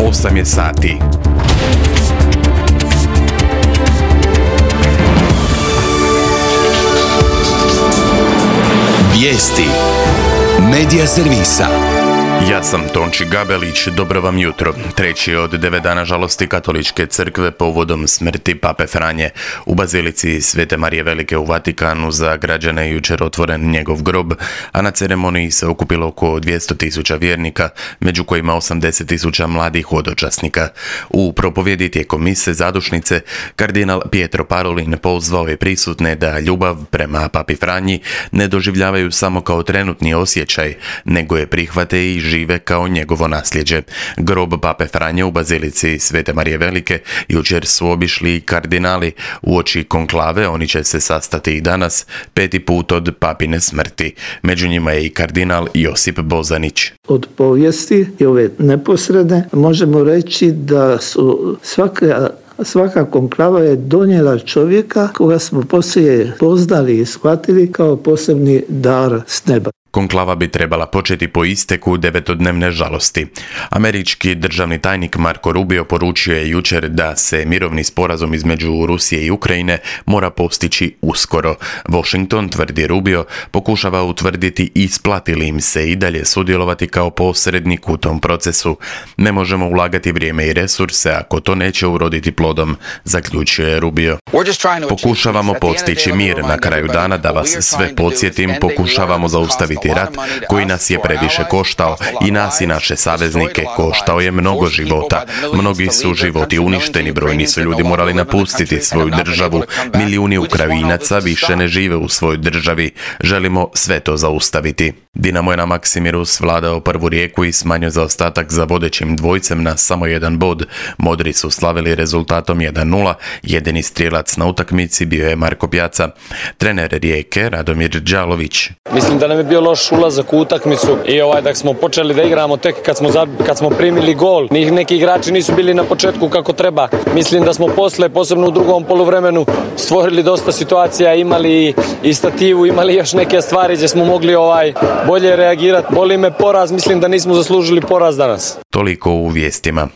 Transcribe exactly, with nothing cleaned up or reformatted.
osam je sati. Vijesti Medija servisa. Ja sam Tonči Gabelić, dobro vam jutro. Treći od devet dana žalosti Katoličke crkve povodom smrti Pape Franje. U bazilici Svete Marije Velike u Vatikanu za građane je jučer otvoren njegov grob, a na ceremoniji se okupilo oko dvjesto tisuća vjernika, među kojima osamdeset tisuća mladih hodočasnika. U propovjedi tijekom mise zadušnice, kardinal Pietro Parolin pozvao je prisutne da ljubav prema Papi Franji ne doživljavaju samo kao trenutni osjećaj, nego je prihvate i žive kao njegovo nasljeđe. Grob Pape Franje u bazilici Svete Marije Velike jučer su obišli kardinali. Uoči konklave oni će se sastati i danas, peti put od papine smrti. Među njima je i kardinal Josip Bozanić. Od povijesti i ove neposredne možemo reći da su svaka Svaka konklava je donijela čovjeka koga smo poslije poznali i shvatili kao posebni dar s neba. Konklava bi trebala početi po isteku devetodnevne žalosti. Američki državni tajnik Marko Rubio poručio je jučer da se mirovni sporazum između Rusije i Ukrajine mora postići uskoro. Washington, tvrdi Rubio, pokušava utvrditi isplati li im se i dalje sudjelovati kao posrednik u tom procesu. Ne možemo ulagati vrijeme i resurse ako to neće uroditi plodom, zaključio je Rubio. Pokušavamo postići mir. Na kraju dana, da vas sve podsjetim, pokušavamo zaustaviti rat koji nas je previše koštao, i nas i naše saveznike. Koštao je mnogo života. Mnogi su životi uništeni, brojni su ljudi morali napustiti svoju državu. Milijuni Ukrajinaca više ne žive u svojoj državi. Želimo sve to zaustaviti. Dinamo je na Maksimiru svladao prvu Rijeku i smanjio zaostatak za vodećim dvojcem na samo jedan bod. Modri su slavili rezultatom jedan nula. Jedini strijelac na utakmici bio je Marko Pjaca. Trener Rijeke Radomir Đalović. Mislim da nam je bio loš ulazak u utakmicu i ovaj da smo počeli da igramo tek kad smo, kad smo primili gol. Neki igrači nisu bili na početku kako treba. Mislim da smo posle, posebno u drugom poluvremenu, stvorili dosta situacija, imali i stativu, imali još neke stvari gdje smo mogli ovaj bolje reagirati. Boli me poraz, mislim da nismo zaslužili poraz danas. Toliko u vijestima.